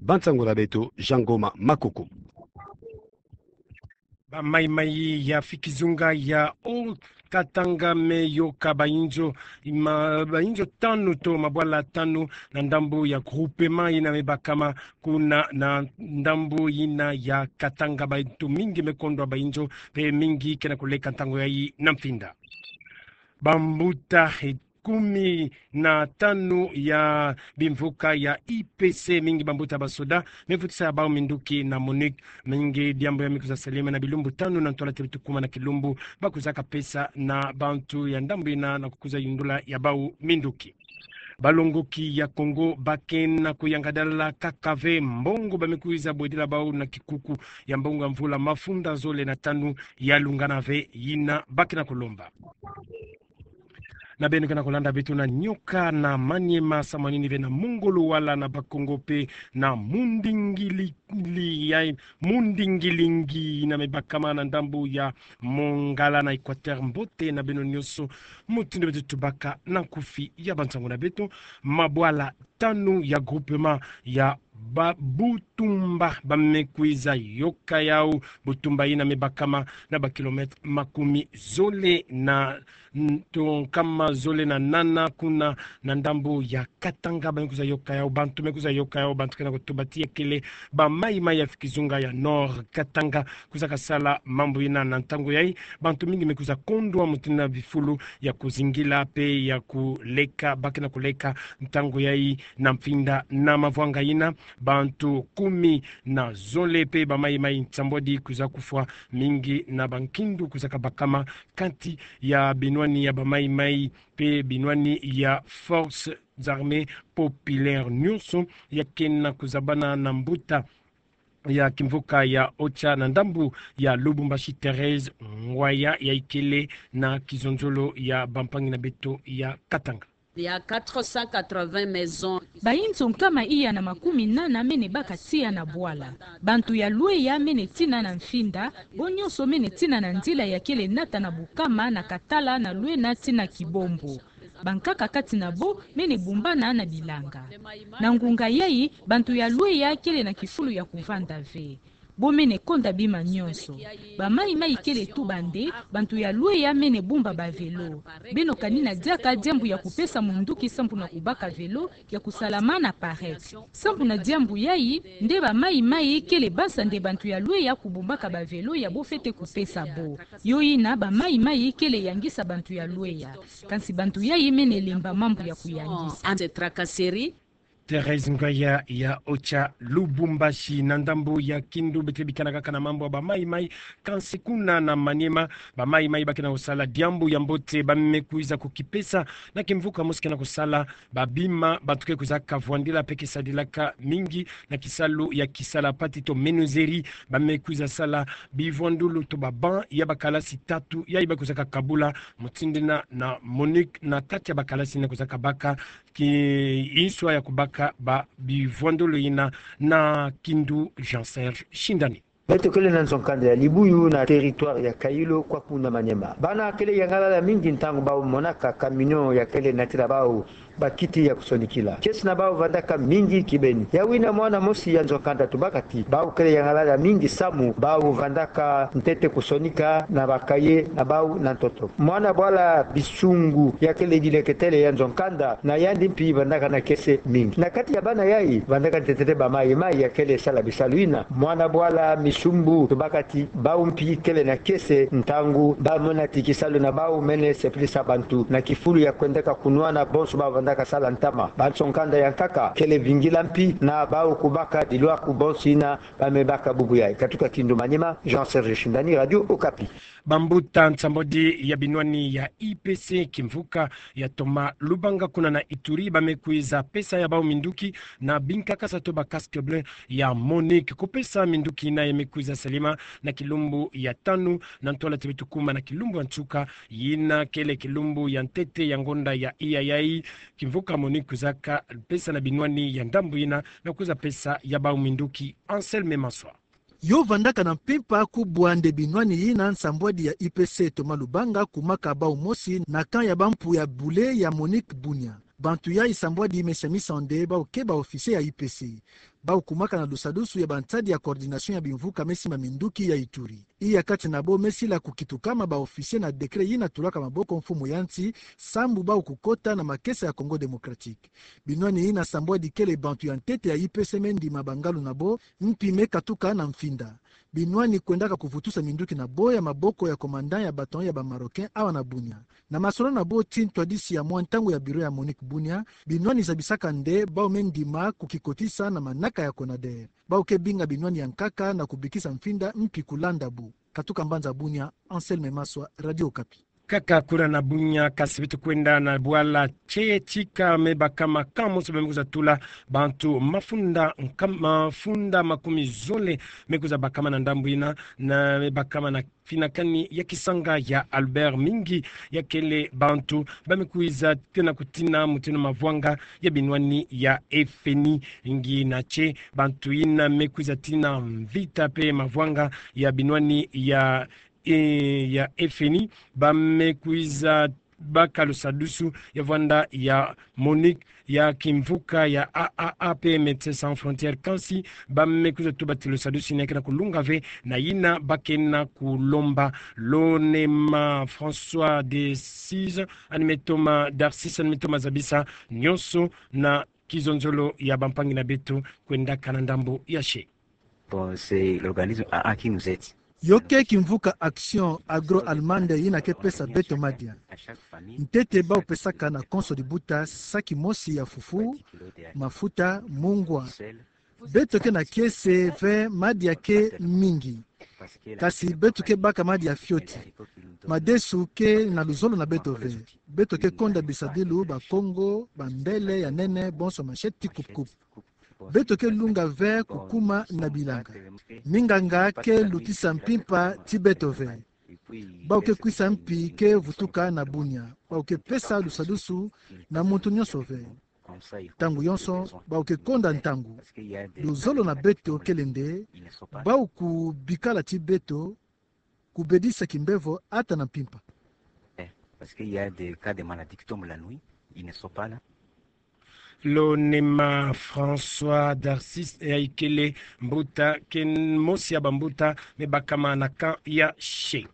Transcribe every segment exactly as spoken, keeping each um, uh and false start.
Ba nsangu na beto, Jean Ngoma Makoko. Ba maimai ya fikizunga ya Haut-Katanga me yoka bainzo, ma, bainzo tanu to mabwala tanu na ndambu ya groupement yina me bakama kuna na ndambu yina ya Katanga. Bantu mingi me kondwa bainzo, pe mingi ke na kuleka ntangu yayi na mfinda. Bambuta, eh, kumi na tanu ya bimvuka ya I P C, mingi bambuta basoda, me vutisa ya bau minduki na MONUC. Mingi diambu ya me kwiza salama na bilumbu tanu na ntwala ti beto kuma na kilumbu, ba kwizaka pesa na bantu ya ndambu yina na kukwiza yundula ya bau minduki. Balongoki ya Kongo ba ke na kuyangadala kaka ve mbongo ba me kwiza bwedila bau na kikuku ya mbongo ya mvula mafunda zole na tanu ya lungana ve yina ba ke na kulomba. Na beno ke na kulanda beto na nioka na Maniema, samu na nini ve na mongolo wala na Bakongo pe na mundingili, li ya, mundingilingi yina me bakama na ndambu ya Mongala na Equateur. Mbote na beno nionso, mutindu beto tubaka na nkufi ya ba nsangu na beto. Mabwala tanu ya groupement ya ba Butumba ba me kwiza yoka yau, Butumba yina me bakama na ba kilomètre makumi zole na, n-, to nkama zole na nana kuna na ndambu ya Katanga, ba me kwiza yoka yau, bantu me kwiza yoka yau, bantu ke na kutuba ti ya kele ba maimai ya fikizunga ya Nord-Katanga kwizaka sala mambu yina. Na ntangu yayi, bantu mingi me kwiza kondwa mutindu na bifulu ya kuzingila pe ya kuleka, ba ke na kuleka ntangu yayi na mfinda. Na mavwanga yina, bantu kumi na zole pe ba maimai nsambwadi kwiza kufwa, mingi na bankindu kwizaka bakama kati ya binwani ya ba maimai pe binwani ya Forces Armées Populaires. Nionso ya ke na kuzabana na mbuta ya kimvuka ya OCHA na ndambu ya Lubumbashi, Thérèse Ngwaya, ya ikele na kizonzolo ya bampangi na beto ya Katanga. Il y a quatre cent quatre-vingts maisons. Bainzo nkama iya na makumi nana mene baka tiya na bwala. Bantu ya Lweya mene tina na mfinda, bo nionso mene tina na nzila ya kele nata na Bukama, na Katala, na Lwena tina Kibombo. Bankaka kati na bo mene bumbana na bilanga. Na ngunga yayi, bantu ya Lweya kele na kifulu ya kuvanda ve. Bo mene konda bima nionso. Ba maimai kele tuba'nde, bantu ya Lweya mene bumba ba vélo. Beno kanina diaka diambu ya kupesa munduki sambu na kubaka vélo, ya kusalama na parec. Sambu na diambu yayi, nde ba maimai kele basa nde bantu ya Lweya kubumbaka ba vélo ya bo fwete kupesa bo. Yo yina ba maimai kele yangisa bantu ya Lweya. Kansi bantu yayi mene lemba mambu ya kuyangisa. Thérèse Ngwaya ya OCHA Lubumbashi. Na ndambu ya Kindu, beto bikana kaka na mambu ya ba maimai, kansi kuna na Maniema, ba maimai ba ke na kusala diambu ya mbote, ba me kwiza kukipesa na kimvuka mosi ke na kusala ba bima bantu ke kwizaka vwandila pe ke sadilaka mingi na kisalu ya kisala pati to menuiserie. Ba me kwiza sala bivwandulu to ba banc ya bakalasi tatu, yayi ba kwizaka kabula mutindu yina na MONUC na kati ya bakalasi yina kwizaka baka ki inswa ya kubaka ba bivwandulu yina. Na Kindu, Jean Serge Shindani. Beto kele na nzo-nkanda ya Libuyu na territoire ya Kayilo, kwaku na Maniema. Bana kele yangalala mingi ntangu bau monaka camion ya kele natila bau bakiti ya kusonikila. Kiese na bau vandaka mingi kibeni. Yawu yina mwana mosi ya nzo-nkanda tubaka ti bau kele yangalala mingi samu bau vandaka ntete kusonika na bakaye na bau na ntoto. Mwana bwala Bisungu ya kele dileketele ya nzo-nkanda, na yandi mpi vandaka na kiese mingi. Na kati ya bana yayi, vandaka ntete ba maimai ya kele sala bisalu yina. Mwana bwala Misumbu tubaka ti bau mpi kele na kiese ntangu ba mona ti kisalu na bau mene sepelisa bantu, na kifulu ya kwendaka kunwana bonso bau vandaka sala ntama. Ba nzo-nkanda ya nkaka kele vingila mpi na bau kubaka dilwaku bonso yina ba me baka bubu yayi. Katuka Kindu, Maniema, Jean Serge Shindani, Radio Okapi. Bambuta nsambwadi ya binwani ya I P C kimvuka ya Thomas Lubanga kuna na Ituri ba me kwiza pesa ya bau minduki na binkakasa to ba casque bleu ya MONUC. Kupesa minduki yina ya me kwiza salama na kilumbu ya tanu na ntwala ti beto kuma na kilumbu ya nsuka, yina kele kilumbu ya ntete ya ngonda ya iya yayi. Kimvuka MONUC kwizaka pesa na binwani ya ndambu yina na kwiza pesa ya bau minduki. Anselme Maswa. Yo vandaka na mpimpa kubwa nde binwani yina, nsambwadi ya I P C Thomas Lubanga kumaka bau mosi na camp ya bampu ya bule ya MONUC Bunia. Bantu yayi nsambwadi me semisa nde bau ke ba officier ya I P C. Bau kumaka na lusadusu ya bansadi ya coordination ya bimvuka me simba minduki ya Ituri. Iya kati na bo me sila kukitukama ba officier na décret yina tulaka maboko mfumu ya nsi, sambu bau kukota na makesa ya Congo Démocratique. Binwani yina sambwadi kele bantu ya ntete ya I P C me ndima bangalu na bo, mpi me katuka na mfinda. Binwani kwendaka kuvutusa minduki na bo ya maboko ya commandant ya bataillon ya ba Marocain awa na Bunia. Na masolo na bo ti ntwadisi ya mwa ntangu ya bureau ya MONUC Bunia, binwani zabisaka nde bau me ndima kukikotisa na manaka ya CONADER. Bau ke binga binwani ya nkaka na kubikisa mfinda mpi kulanda bo. Katuka mbanza Bunia, Anselme Maswa, Radio Okapi. Kaka kuna na Bunia, kasi beto kwenda na bwala Tchie Tchika me bakama camp mosi ba me kwiza tula bantu mafunda nka-, mafunda makumi zole me kwiza bakama na ndambu yina, na me bakama na finakani ya kisanga ya Albert Mingi, ya kele bantu ba me kwiza tena kutina mutindu mavwanga ya binwani ya F N I. Ngina tchie bantu yina me kwiza tina mvita pe mavwanga ya binwani ya, e, ya F N I, ba me kwiza baka lusadusu ya vwanda ya MONUC, ya kimvuka ya A A A pe Médecins Sans Frontières, kansi ba me kwiza tuba ti lusadusu yina ke na kulunga ve na yina ba ke na kulomba. Lo nde ma François d'Assise, ani me toma, d'Assise, ani me toma zabisa nyonso na kizonzolo ya bampangi na beto kwendaka na ndambu ya se. Bon, c'est l'organisme A A qui nous aide. Yo ke kimvuka Action Agroalimentaire yina ke pesa beto madia. Ntete bau pesaka na konso dibuta saki mosi ya fufu, mafuta, mungwa. Beto ke na kiese ve madia ke mingi. Kasi beto ke baka madia fioti. Madesu ke na luzolo na beto ve. Beto ke konda bisadilu, bakongo, bambele ya nene, bonso machette ti coupe-coupe. Beto ke lunga ve kukuma na bilanga. Minganga ke lutisa mpimpa ti beto ve. Bau ke kwisa mpi ke vutuka na Bunia. Bau ke pesa lusadusu na muntu nyonso ve. Ntangu yonso, bau ke konda ntangu. Luzolo na beto kele nde, bau kubikala ti beto, kubedisa kimbevo ata na mpimpa. Eh, parce qu'il y a des cas de maladies qui tombent la nuit, ils ne sont pas là. Lo nde ma François d'Assise, e, ikele mbuta, ken mosi ya bambuta me bakama na camp ya se.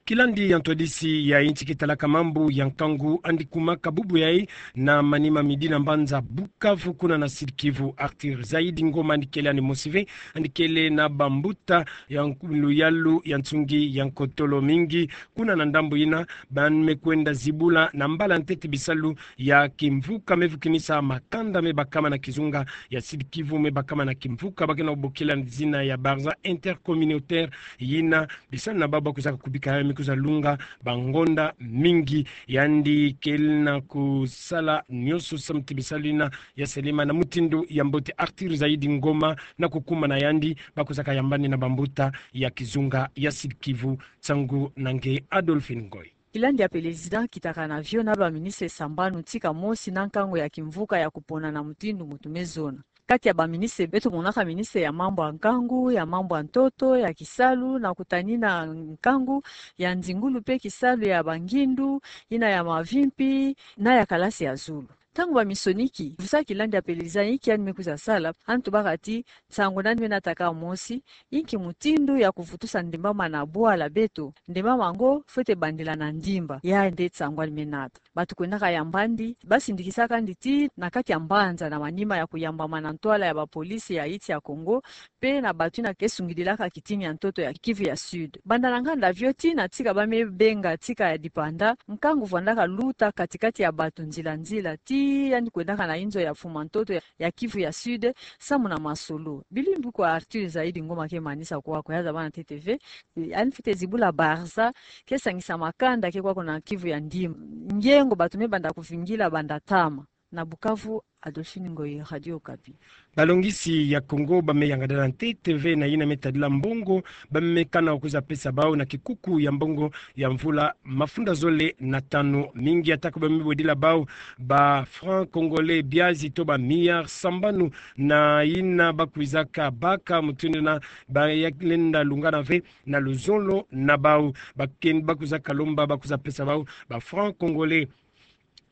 Kilandi ya ntwadisi ya insi ke talaka mambu ya nkangu, andi kumaka bubu yayi na manima midi na mbanza Bukavu, kuna na Sud-Kivu, Arthur Zaidi Ngoma, andi kele andi mosi ve, andi kele na bambuta ya nku-, luyalu ya nsungi ya nkotolo mingi. Kuna na ndambu yina, ba me kwenda zibula na mbala ntete bisalu ya kimvuka me vukinisa makanda me bakama na kizunga ya Sud-Kivu, me bakama na kimvuka ba ke na bokila na zina ya Barza Intercommunautaire, yina bisalu na bau ba kwizaka kubika yayi me kwiza lunga bangonda mingi. Yandi kele na kusala nyonso samu ti bisalu yina ya salama na mutindu ya mbote. Arthur Zaidi Ngoma, na kukuma na yandi, ba kwizaka yambani na bambuta ya kizunga ya Sud-Kivu. Nsangu na nge Adolphine Ngoy. Kilandi ya président akitaka na vio na baministre sambanu tika mosi na nkangu ya kimvuka ya kupona na mutindu muntu me zona. Kati ya baministre, beto monaka ministre ya mambu ya nkangu, ya mambu ya ntoto, ya kisalu, na kutanina nkangu, ya nzingulu pe kisalu ya bangindu, yina ya mavimpi, na ya kalasi ya zulu. Ntangu bamisoniki, vusaka kilandi ya président inki yandi me kwiza sala, yandi tubaka ti nsangu nani me nataka mosi, inki mutindu ya kuvutusa ndembama na bwala beto, ndembama ngo fwete bandila na ndimba, ya nde nsangu yandi me nata. Bantu kwendaka yamba yandi, basindikisaka yandi ti na kati ya mbanza na manima ya kuyambama na ntwala ya bapolisi ya insi ya Congo, pe na bantu yina ke sungidilaka kitini ya ntoto ya Kivu ya Sud. Banda na nganda vio tii na tika ba me benga tika ya dipanda, nkangu vwandaka luta kati-kati ya bantu nzila-nzila, tii yandi kwendaka na inzo ya mfuma ntoto ya, ya Kivu ya Sud, samu na masolo. Bilu mbi kwa Arthur Zaidi Ngoma ke manisa kwa, kwa ya zaba na T T V, yandi fwete zibula Barza, ke sangisa makanda ke kwa kuna Kivu ya Ndim. Ngiengo bantu me banda kuvingila banda ntama. Na Bukavu, Adolphine Ngoyi, Radio Okapi. Balongisi ya Congo ba me yangada na T T V na yina me tadila mbongo ba me kana kwiza pesa bau na kikuku ya mbongo ya mvula mafunda zole na tanu. Mingi atako ba me bwedila bau ba francs congolais biazi to ba milliards sambanu, na yina ba kwizaka baka mutindu yina ba ya lenda lungana ve na luzolo na bau. Ba ken ba kwizaka lomba ba kwiza pesa bau ba francs congolais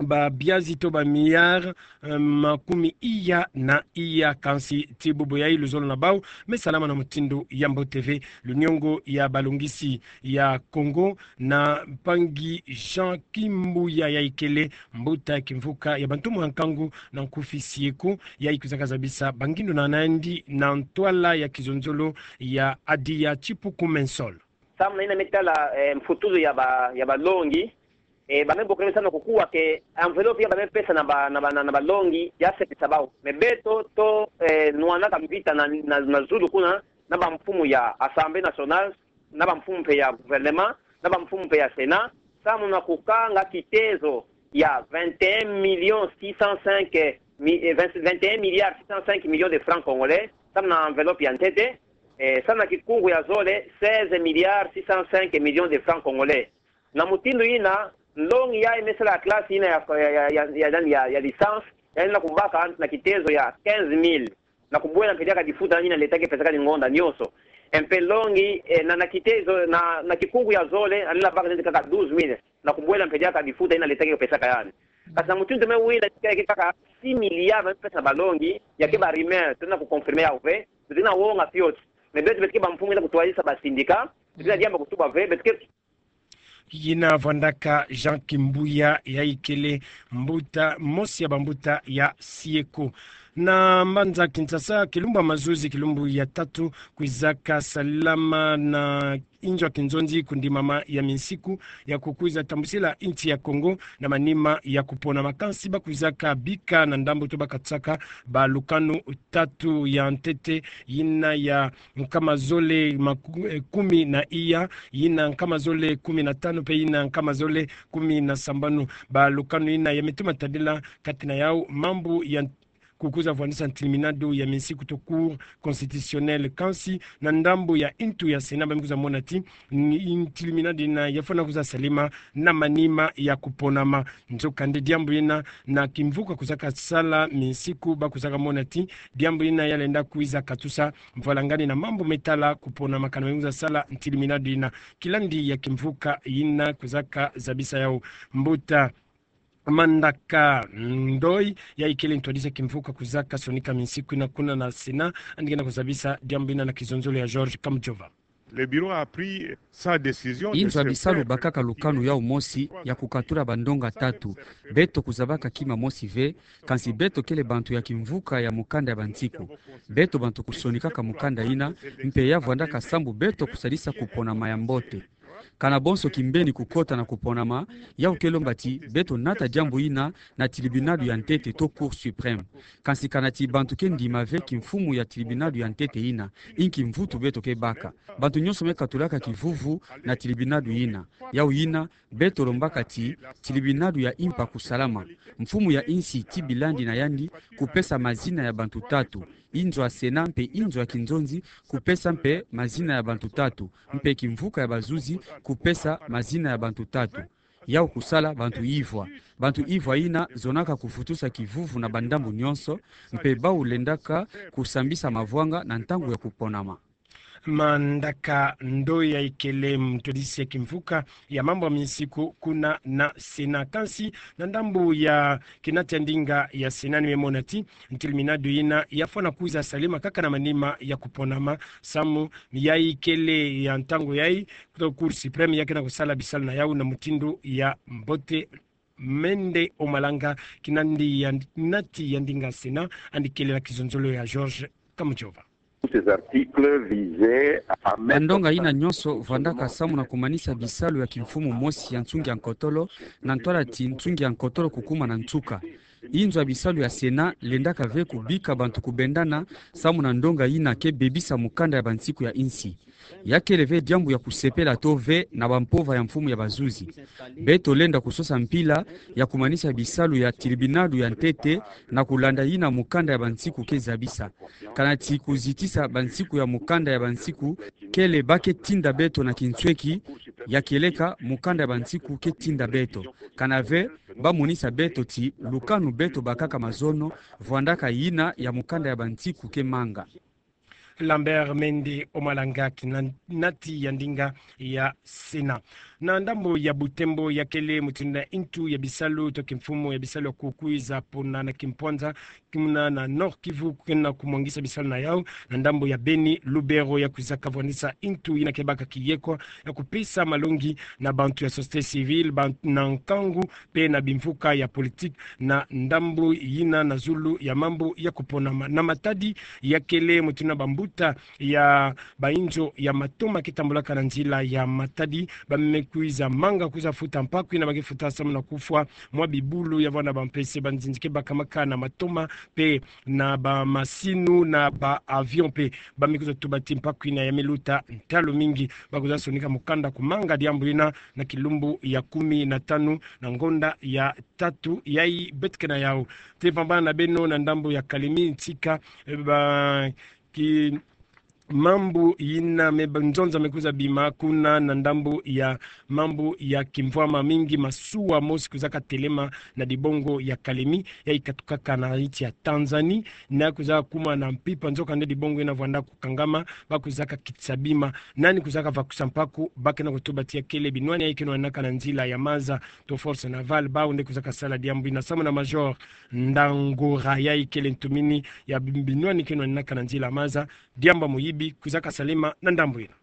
babiazi to ba milliards, eh, makumi iya na iya. Kansi tii bubu yai luzolo na bau me salama na mutindu ya mbote ve. Luniongo ya balongisi ya Kongo na mpangi Jean Kimbuya, yai kele mbuta ya kimvuka ya bantu mwa nkangu na nkufi SIECO, yai kwizaka zabisa bangindu na nandi na ntwala ya kizonzolo ya Adia Tipuku Mensol. Samu na yina me tala, eh, mfutuzu ya ba, ya balongi, eh, ba me bokele samu na kukuwa ke enveloppe ya ba me pesa na ba, na ba, na, na balongi ya sepisa bau. Mais beto to, eh, nwanaka mvita na, na, na zulu kuna, na bamfumu ya Assemblée nationale, na bamfumu mpe ya gouvernement, na bamfumu mpe ya Sénat, samu na kukanga kitezo ya vingt et un millions six cent cinq mi-, eh, vingt, vingt et un milliards six cent cinq millions de francs congolais, samu na enveloppe ya ntete, eh, samu na kikungu ya zole, seize milliards six cent cinq millions de francs congolais. Na mutindu yina, nlongi yai me sala classe yina ya, ya, ya, ya, ya, ya, ya licence, yandi lenda kubaka na kitezo ya quinze mille. Na kubwela mpe diaka difuta yina l'État ke pesaka ni ngonda nyonso. Mpe nlongi, eh, na, na kitezo, na, na kikungu ya zole, yandi lenda baka neti kaka douze mille. Na kubwela mpe diaka difuta yina l'État ke pesaka yandi. Kasi na mutindu me wila, ke, ke kaka six milliards ba me pesa na balongi, ya ke ba rumeur, tuna kuconfirmer yau ve, tuna wonga fioti. Mais beto beto ke bamfumu ya kutwadisa ba syndicat, beto ke diamba kutuba ve, beto ke Yina vwandaka Jean Kimbuya, yai kele mbuta, mosi ya bambuta ya SIECO. Na mbanza Kinshasa, kilumbu ya mazuzi, kilumbu ya tatu, kwizaka salama na inzo ya kinzonzi kundimama ya minsiku ya kukwiza tambusila insi ya Kongo na manima ya kuponama. Kansi ba kwizaka bika na ndambu to ba katsaka balukanu tatu ya ntete, yina ya nkama zole maku-, eh, kumi na iya, yina nkama zole kumi na tanu, mpe yina nkama zole kumi na sambanu. Balukanu yina ya me tuma tadila kati na yau mambu ya kukwiza vwandisa ntiliminadu ya minsiku to Cour constitutionnelle. Kansi na ndambu ya ntu ya Sénat ba me kwiza mona ti n-, ntiliminadu yina ya fwana kwiza salima na manima ya kuponama. Nzokande diambu yina na kimvuka kwizaka sala minsiku ba kwizaka mona ti diambu yina ya lenda kwiza katusa mvwalangani na mambu me tala kuponama kana ba me kwiza sala ntiliminadu yina. Kilandi ya kimvuka yina kwizaka zabisa yau. Mbuta Mandaka Ndoi, yai kele ntwadisi ya kimvuka kwizaka sonika minsiku yina kuna na Sénat, yandi ke na kuzabisa diambu yina na kizonzolo ya Georges Kamujova. Le bureau a pris sa décision de se faire. Inzo ya bisalu bakaka lukanu yau mosi ya kukatula bandonga tatu. Beto kuzabaka kima mosi ve, kansi beto kele bantu ya kimvuka ya mukanda ya bansiku. Beto bantu kusonikaka mukanda yina, mpe ya vwandaka sambu beto kusalisa kuponama ya mbote. Kana bonso kimbeni kukota na kuponama, yau ke lomba ti beto nata diambu yina na tilibinadu ya ntete to Cour suprême. Kansi kana ti bantu ke ndima ve kimfumu ya tilibinadu ya ntete yina, inki mvutu beto ke baka? Bantu nyonso me katulaka kivuvu na tilibinadu yina. Yau yina, beto lombaka ti tilibinadu ya impa kusalama. Mfumu ya insi ti bilandi na yandi kupesa mazina ya bantu tatu. Inzo ya Sénat mpe inzo ya kinzonzi kupesa mpe mazina ya bantu tatu, mpe kimvuka ya bazuzi kupesa mazina ya bantu tatu. Yau kusala bantu ivwa. Bantu ivwa yina zonaka kufutusa kivuvu na bandambu nyonso, mpe bau lendaka kusambisa mavwanga na ntangu ya kuponama. Mandaka Ndoi, yai kele ntwadisi ya kimvuka ya mambu ya minsiku kuna na Sénat. Kansi na ndambu ya kinati ya ndinga ya Sénat, ni me mona ti ntilibinadu yina ya fwana kwiza salima kaka na manima ya kuponama, samu yai kele ya ntangu yai, kuto Cour suprême ya ke na kusala bisalu na yau na mutindu ya mbote. Mende Omalanga, kinandi ya, kinati ya ndinga Sénat, yandi kele na kizonzolo ya Georges Kamujova. Ces articles visaient à mettre... Bandonga yina nyonso vwandaka samu na kumanisa bisalu ya kimfumu mosi ya nsungi ya nkotolo, na ntwala ti nsungi ya nkotolo kukuma na nsuka. Inzo ya bisalu ya Sénat lendaka ve kubika bantu kubendana samu na ndonga yina ke bebisa mukanda ya bansiku ya insi. Ya kele ve diambu ya kusepela to ve na bampova ya mfumu ya bazuzi. Beto lenda kusosa mpila ya kumanisa bisalu ya tilibinadu ya ntete na kulanda yina mukanda ya bansiku ke zabisa. Kana ti kuzitisa bansiku ya mukanda ya bansiku, kele ba ke tinda beto na kinsweki, ya kieleka mukanda ya bansiku ke tinda beto. Kana ve ba monisa beto ti lukanu beto bakaka mazono vwandaka yina ya mukanda ya bansiku ke manga. Lambert Mende Omalanga, kinati ya ndinga ya Sénat. Na ndambo ya Butembo, ya kele mutindu na ntu ya bisalu to kimfumu ya bisalu ya kukwiza pona na kimpwanza, kuna na Nord-Kivu, ke na kumwangisa bisalu na yau na ndambo ya Beni, Lubero, ya kwizaka vwanisa ntu yina ke baka kiyekwa ya kupesa malongi na bantu ya société civile, ban-, na nkangu mpe na bimvuka ya politique na ndambo yina na zulu ya mambu ya kuponama. Na Matadi, ya kele mutindu na bambuta ya bayinzo ya matoma ke tambulaka na nzila ya Matadi, ba me kwiza manga kwiza futa mpaku yina ba ke futa samu na kufwa mwa bibulu ya vwanda bampese banzinzi ke bakamaka na matoma mpe na bamasinu na ba-avion mpe. Ba me kwiza tuba ti mpaku yina ya me luta ntalu mingi. Ba kwiza sonika mukanda kumanga diambu yina na kilumbu ya kumi na tanu na ngonda ya tatu yayi beto ke na yau. Te vambana na beno na ndambo ya Kalemi, ntika, eh, ba ki mambu yina me ba nzonza me kwiza bima kuna na ndambo ya mambu ya kimvwama mingi, masuwa mosi kwizaka telema na dibongo ya Kalemi, yayi katukaka na nsi ya Tanzanie, na kwiza kuma na mpimpa, nzokande dibongo yina vwanda kukangama. Ba kwizaka kitisa bima nani kwizaka vakusa mpaku, ba ke na kutuba ti ya kele binwani yayi ke nwanaka na nzila ya maza to force navale, bawu nde kwizaka sala diambu yina samu na Major Ndangora, yayi kele ntumini ya bi-, binwani ke nwanaka na nzila ya maza. Diambu ya muyibi kwizaka salema na ndambo yina.